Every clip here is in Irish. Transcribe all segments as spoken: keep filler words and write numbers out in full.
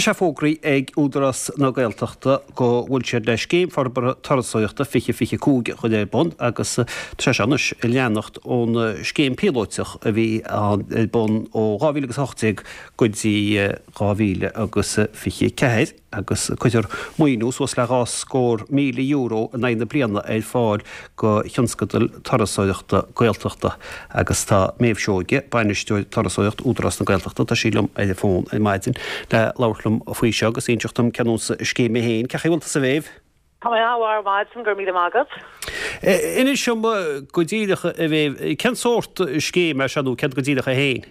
Tá sé fógraithe ag Údarás na Gaeltachta go bhfuil siad le Scéim Forbartha Turasóireachta fiche fiche cúig a chur ar bun agus tá sé anois ag leanacht ón scéim píolótach a bhí ar bun ó dhá mhíle agus a hocht déag go dtí dhá mhíle agus fiche ceathair agus cuirfear maoiniú suas le dhá scór míle euro in aghaidh na bliana ar fáil do thionscadail turasóireachta Gaeltachta agus tá Méabh Seoige, Bainisteoir Turasóireacht Údarás na Gaeltachta, tá sí liom ar an bhfón ar maidin le labhairt liom faoi seo agus inseacht dom cén nós scéim é féin. Cén chaoi a bhfuil tusa a Mhéabh? Tá mé an-mhaith ar maidin, go raibh míle maith agat. Inis dom go díreach a Mhéabh, cén sórt scéim é seo nó céard go díreach é féin?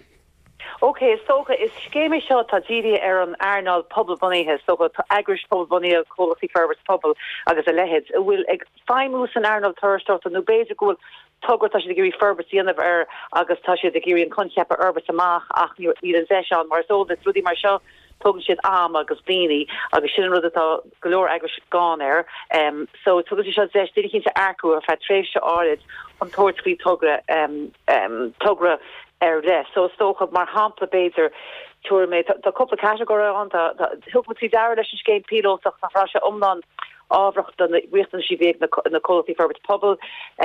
Ok, is dócha, is scéim é seo atá dírithe ar an earnáil pobalbhunaithe, is dócha, tá eagrais pobalbhunaithe, comhlachtaí forbartha pobail agus a leithéid, a bhfuil ag feidhmiú san earnáil turasóireachta nó b'fhéidir go bhfuil togra tá siad ag iarraidh forbairt a dhéanamh air agus tá siad ag iarraidh an coincheap a fhorbairt amach ach níl an deis ann mar is eol duit rudaí mar seo tógann siad am agus daoine agus sin an rud atá go leor eagrais gann air. Um, so tugann sé seo deis duine éicint a earcú ar feadh tréimhse áirid chun tabhairt faoi togra um, um, togra ar leith. So is dócha mar shampla b'fhéidir tabharfaidh mé tá cúpla catagóir ann tá thug muid faoi deara leis an scéim píolótach nach raibh sé iomlán ábharach do na riachtanais a bhí ag na comhlachtaí forbartha pobail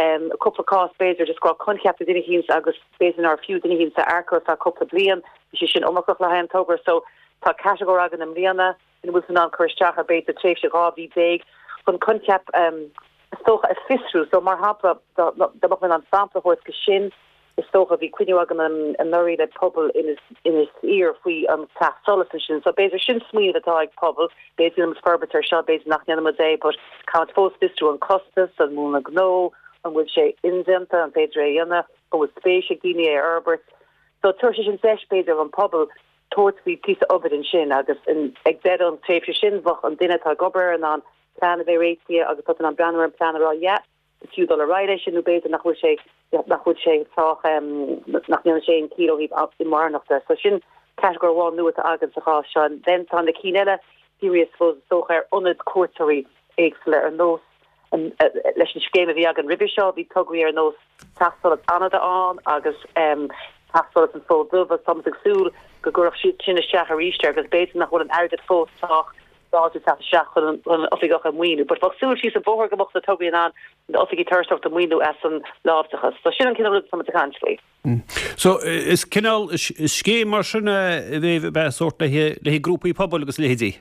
um, cúpla cás b'fhéidir just go raibh coincheap ag duine éicint agus b'fhéidir nárbh fhiú duine éicint a earcú ar feadh cúpla bliain bhí sé sin iomarcach le haghaidh an togra so tá catagóir againn i mbliana ina bhfuil tú in ann cur isteach ar b'fhéidir tréimhse dhá mhí déag chun coincheap um, is dócha a fhiosrú so mar shampla dá mbeadh mé in ann sampla a thabhairt go sin is dócha bhí cruinniú againn anuraidh le pobal Inis Oírr faoi an teach solais ansin. So b'fhéidir sin smaoineamh atá ag pobal, b'fhéidir ndéanfaimid forbairt air seo, b'fhéidir nach ndéanfaimid é, but caithfimid fós fiosrú an costas, an múnla gnó, an bhfuil sé indéanta, an féidir é a dhéanamh, an bhfuil spéis ag daoine é a fhorbairt. So tabharfaidh sé sin deis b'fhéidir an pobal tabhairt faoi píosa obair ansin agus ag deireadh an tréimhse sin bheadh an duine atá ag obair in ann plean a bheith réitithe agus tá an breathnú ar an plean a rá yeah, is fiú dul ar aghaidh leis sin nó b'fhéidir nach bhfuil sé nach bhfuil sé sách nach ndéanann sé aon chiall ó thaobh inmharthanachta. So sin catagóir amháin nua atá againn sa chás seo. Then tá na cinn eile dírithe suppose is dócha ar ionaid cuairteoirí éagsúla ar nós leis an scéim a bhí againn roimhe seo bhí tograí ar nós Teach Solais Fhánada ann agus um, Teach Solais an Fhóid Dubh agus táimid ag súil go gcuirfeadh siad sin isteach arís agus b'fhéidir nach bhfuil an airgead fós sách láidir teacht isteach chun an oifigeach a mhaoiniú, but bheadh súil síos an bóthar go mbeadh na tograí in ann na oifigí turasóireachta a mhaoiniú as an láimhdeachas. So sin an cineál rud táimid ag caint faoi. So is cineál scéim mar sin a bheith bheith sórt le le grúpaí pobail agus leithéidí.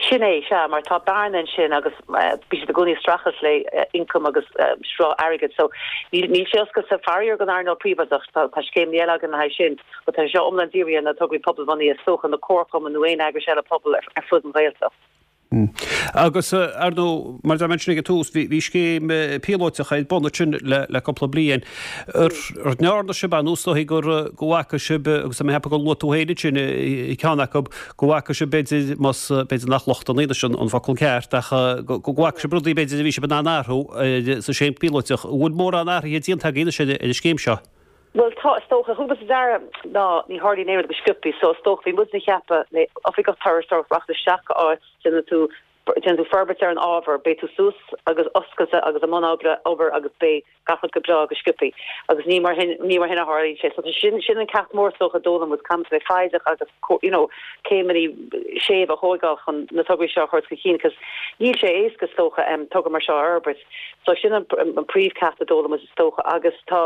Sin é sea mar tá bearna ansin agus bíonn siad i gcónaí ag streachailt le ioncam agus sruth airgid so níl níl sé oscailte faraor don earnáil phríobháideach tá tá scéim eile againn le haghaidh sin but tá seo iomlán dírithe ar na tograí pobalbhunaithe is dócha na comharchumainn nó aon eagrais eile pobail ar, ar fud an Ghaeltacht. Agus ar ndóigh mar a dúirt mé ag an tús bhí scéim píolótach ar bun ansin le le cúpla bliain. Ar ndearna sibh an úsáid gur go bhfaca sibh agus mé ag ceapadh gur luaigh tú féin sin i ceann acu go bhfaca sibh b'fhéidir más b'fhéidir nach lochtanna iad sin an focal ceart ach go bhfaca sibh rudaí b'fhéidir a bhí sibh in ann athrú sa scéim píolótach. An bhfuil mórán athruithe déanta agaibh anois ar an scéim seo? Well tá is dócha thug muid faoi deara ná ní tharlaíonn aon rud go sciobtha so is dócha bhí muid ag ceapadh le oifigeach turasóireachta rachaidh isteach go áit déanfaidh tú déanfaidh tú forbairt ar an ábhar beidh tú suas agus oscailte agus i mbun oibre obair agus beidh gach rud go breá go sciobtha agus ní mar hin ní mar hin a tharlaíonn sé so sin sin an ceacht mór is dócha a d'fhoghlaim muid caithfidh bheith foighdeach agus you know céimeanna séimh a thógáil chun na tograí seo a chur chun cinn cos níl sé éasca is dócha um, togra mar seo a fhorbairt so sin an, an príomhcheacht a d'fhoghlaim muid is dócha agus tá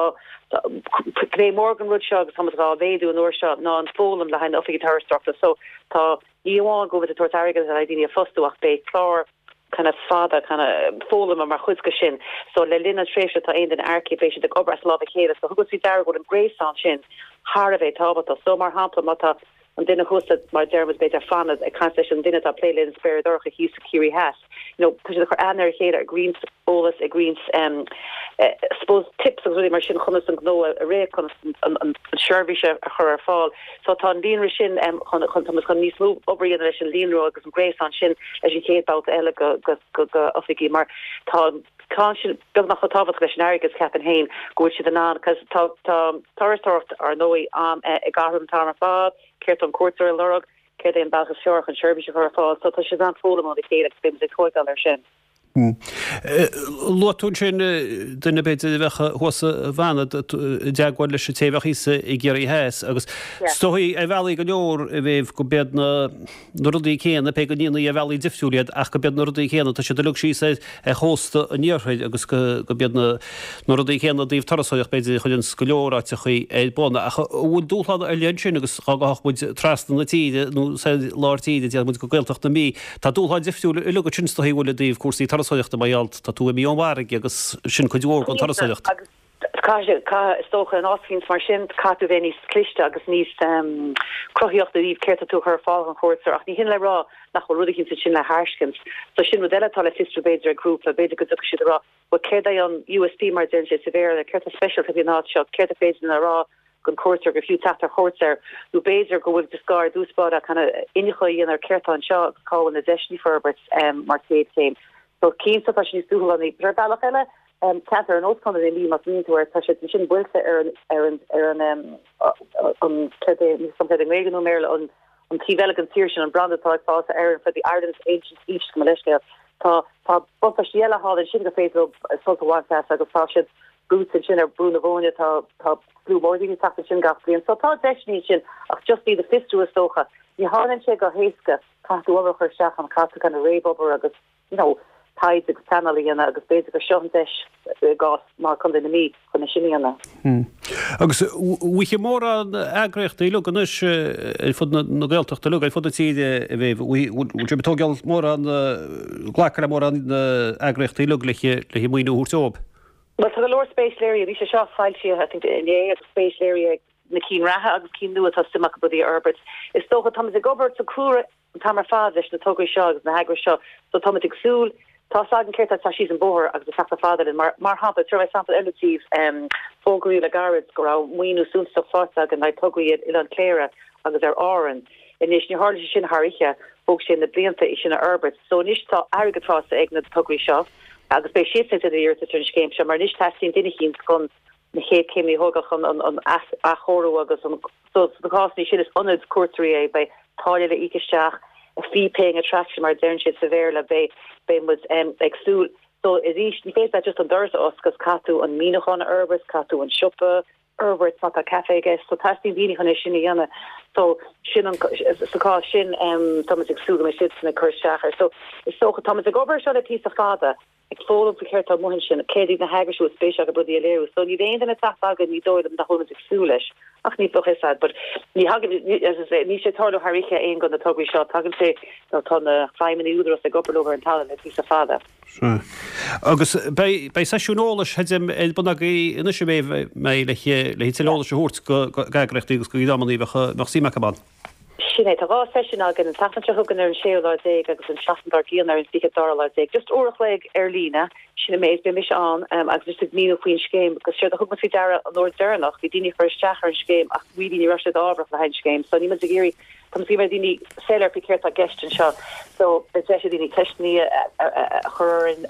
gné mór den rud seo agus táimid á mhéadú an uair seo ná an foghlaim le haghaidh na oifigí turasóireachta so tá ní amháin go bhfuil tabhairt airgead le daoine a fhostú ach beidh clár kind of fada kind of foghlama mar chuid de sin so le linn an tréimhse tá aon duine earcaithe beidh siad ag obair as lámh a chéile so thug sí deara go an gréasán sin thar a bheith tábhachtach so mar shampla má tá an duine thuas mar deirtear b'fhéidir Fánada ag caint leis an duine atá plé le an Spéir Dhorcha thíos sa Ciarraí Theas. You know, tá siad ag cur aithne ar a chéile ag roinnt eolas ag roinnt um, uh, suppose tips agus rudaí mar sin chun an gnó a rith chun an, an, an seirbhís a chur ar fáil. So tá an líonra sin um, chun chun chun chun níos mó obair leis an líonra agus an gréasán sin leis an chéad babhta eile go go go, go oifigí mar tá tá sin beagnach chomh tábhachtach leis an airgead ceapaim féin go bhfuil siad in ann cos tá tá turasóireacht ar ndóigh am eh, ag athrú an t-am ar fad céard an cuairteoir ag lorg céard é an bealach is fearr chun seirbhís a chur ar fáil so tá siad an foghlaim ó a chéile agus beidh ag tógáil ar sin. Luaigh tú ansin duine b'fhéidir a bheadh thuas i bhFanad i dteagmháil leis an té a bheadh thíos i gCiarraí Theas agus is dóigh ar bhealaí go leor a Mhéabh go b'iad na na rudaí céanna, pé go ndéanfaí ar bhealaí difriúil iad ach go b'iad na rudaí céanna, tá siad uilig síos ar ar chósta an iarthair agus go go b'iad na na rudaí céanna i dtaobh turasóireacht b'fhéidir a chuireanns go leor áiteachaí ar bun. Ach an bhfuil dúshlán ar leith ansin agus dhá ngabhfadh muid trasna na tíre nó sa lár tíre déarfaidh muid go Gaeltacht na Mí, tá dúshláin difriúil uilig ansin is dóigh an bhfuil i dtaobh cúrsaí turasóireachta mar gheall tá tú imithe ón bhfarraige agus sin cuid mhór den turasóireacht. Agus caithfidh, caithfidh, is dócha, in áit éicint mar sin, caithfidh tú bheith níos cliste agus níos cruthaíoch i dtaobh céard tá tú a chur ar fáil don chuairteoir ach ní hin le rá nach bhfuil rud eicínt ansin le thairscint. So sin rud eile atá le fiosrú b'fhéidir ag grúpa, b'fhéidir go dtiocfaidh siad a rá, bhuel céard é an USP mar a deireann siad sa Bhéarla, céard tá speisialta faoin áit seo, céard a féidir linn a rá don chuairteoir gur fiú teacht ar chuairt air, nó b'fhéidir go bhfuil just gá ar dtús báire kind of iniúchadh a dhéanamh ar céard tá anseo agus cá bhfuil na deiseanna forbairt mar chéad chéim. So cinnte tá sé níos dúshlánaí. But ar bhealach eile, ceantar ar nós Contae na Mí, más smaoiníonn tú air, tá siad ansin buailte ar an ar an ar an an céard é, níl a fhios agam céard é i nGaeilge nó i mBéarla, an an taobh eile den tír sin, an branda atá ag fás ar Éirinn for the Ireland's Ancient East, gabh mo leithscéal. Tá tá buntáistí eile thall ansin gur féidir leo sult a bhaint as agus tá siad brúite ansin ar Brú na Bóinne, tá tá slua mór daoine ag teacht ansin gach bliain. So tá deiseanna ansin ach just iad a fiosrú is dócha. Ní tharlaíonn sé go héasca, caithfidh tú obair a chur isteach ann, caithfidh tú kind of réamhobair agus you know, taighde agus pleanáil a dhéanamh agus b'fhéidir gur seo an deis i gcás mar Contae na Mí chun é sin a dhéanamh. Hmm. Agus bhfuil mórán eagraíochtaí uilig anois ar fud na Gaeltachta uilig, ar fud na tíre a bheidh, bhfuil sibh ag tógáil mórán, glacadh le mórán eagraíochtaí uilig le maoiniú a thabhairt dóibh? Bhuel tá go leor spéis léirithe, bhí sé seo foilsithe I think inné agus spéis léirithe ag na cinn reatha agus cinn nua atá suim acu rudaí a fhorbairt. Is dócha táimid ag obair sa cúlra an t-am ar fad leis na tograí seo agus na heagrais seo so táimid ag súil tá a fhios againn céard atá síos an bóthar agus ag teacht chomh fada linn. Mar mar shampla, tabharfaidh mé sampla eile daoibh, um, fógraíodh le gairid go raibh maoiniú suntasach faighte againn le tograí ar Oileán Cléire agus ar Árainn. Anois ní tharla sé sin thar oíche, thóg sé na blianta é sin a fhorbairt. So anois tá airgead faighte ag na tograí seo agus beidh siadsan ag déanamh iarratas ar an scéim seo mar anois teastaíonn duine eicínt chun na chéad chéimeanna a thógáil chun an an athchóiriú agus an so sna cásanna sin is ionad cuairteoirí é beidh táille le íoc isteach a fee paying attraction mar a deireann siad sa Bhéarla beidh beidh muid um, ag súil so arís ní féidir leat just an doras a oscailt caithfidh tú an míniúchán a fhorbairt caithfidh tú an siopa a fhorbairt má tá caife i gceist so teastaíonn daoine chun é sin a dhéanamh so sin an sa chás sin um, táimid ag súil go mbeidh siadsan ag cur isteach air so is dócha táimid ag obair seo le píosa fada ag foghlaim faoi céard atá amuigh ansin, céard iad na heagrais a bhfuil spéis acu rudaí a léiriú. So níl aon duine ag teacht againn, ní dóigh liom nach bhfuil muid ag súil leis, ach ní bheadh a fhios a'd, but ní thagann, as I say, níl sé ag tarlú thar oíche aon de na tograí seo, tagann sé, nó tá na feidhmeannaigh Údarás ag obair leo ar an talamh le píosa fada. Sea. Agus beidh, beidh seisiún eolais creidim ar bun agaibh anois a mbeidh le, le tuilleadh eolais a thabhairt go, go eagraíochtaí agus go dreamanna a bheadh, bheadh suim acu ann. Sin é, tá dhá seisiún againn, an tseachtain seo chugainn ar an séú lá déag agus an tseachtain dár gcionn ar an fiche dara lá déag. Just uair a chloig ar líne, sin an méid, beidh mise ann agus just ag míniú faoin scéim agus séard a thug muid faoi deara an uair deireanach, bhí daoine ag cur isteach ar an scéim ach really ní raibh siad ábharach le haghaidh an scéim so níl muid ag iarraidh Tá muid ag iarraidh daoine soiléir faoi céard atá i gceist anseo so beidh deis ag daoine ceisteanna a chur orainn,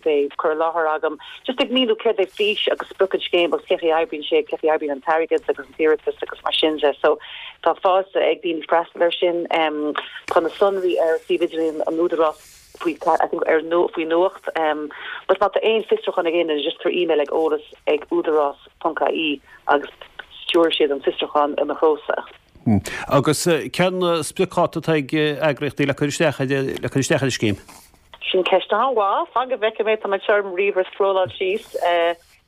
beidh cur i láthair agam just ag míniú céard é fís agus sprioc an scéim agus cén chaoi a oibríonn sé, cén chaoi a oibríonn an t-airgead agus an t-iarratas agus mar sin de. So tá fáilte ag daoine freastal air sin. Tá na sonraí ar suíomh idirlín an Údarás faoi I think ar faoi nuacht but má tá aon fiosrúchán ag aon duine just tabhair email ag eolas ag údarás ponc ie agus stiúrfaidh siad an fiosrúchán i mo threosa. Agus cén spriocdháta atá ag eagraíochtaí le cur isteach le cur isteach ar an scéim? Sin ceist an-mhaith. Fan go bhfeicfidh mé, tá mé anseo ar mo ríomhaire scrolláil síos.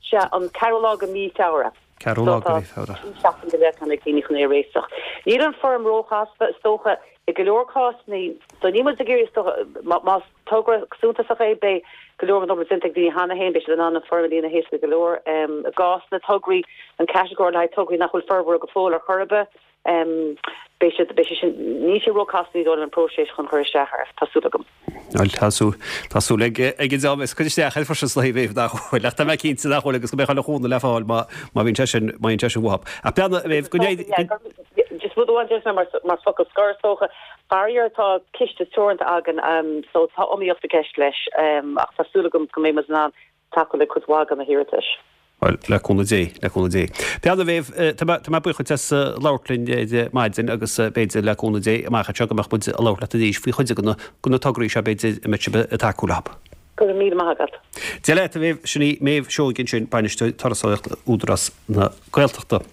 Sea, an ceathrú lá de mhí Feabhra. Ceathrú lá de mhí Feabhra. Trí seachtain go leith ag daoine chun é a réiteach. Níl an foirm róchasta, is dócha, i go leor cásanna. So níl muid ag iarraidh, is dócha, más togra suntasach é, beidh go leor den obair déanta ag daoine cheana féin, beidh siad in ann an foirm a líonadh éasca go leor. I gcás na tograí, an catagóir le haghaidh tograí nach bhfuil forbartha go fóill ar chor ar bith, beidh siad, beidh sé sin, níl sé róchasta ní dóigh liom an próiseas chun cur isteach air, tá súil agam. Bhuel, tá súil, tá súil ag, ag an dream is cur isteach air freisin sna thaobh nach bhfuil, ach tá mé cinnte nach bhfuil agus go mbeidh chuile chúnamh le fáil má, má bhíonn sé sin, má bhíonn sé sin uathu. Ach beanna, a Mhéabh, go n-éirí, go. Just rud amháin déarfaidh mé mar, mar focal scoir is dócha, faraor tá ciste teoranta againn so tá iomaíocht i gceist leis ach tá súil agam go mbeidh muid in ann tacú le cuid mhaith de na hiarratais. Bhuel, le cúnamh Dé, le cúnamh Dé. Beanna, a Mhéabh, tá mé, tá mé buíoch duit as labhairt linn ar maidin agus b'fhéidir le cúnamh Dé amach anseo go mbeadh muid ag labhairt leat arís faoi chuid de na, de na tograí seo b'fhéidir a mbeidh sibh ag tacú leo. Go raibh míle maith agat. Dia leat a Mhéabh, sin í Méabh Seoige ansin, Bainisteoir Turasóireachta Údarás na Gaeltachta.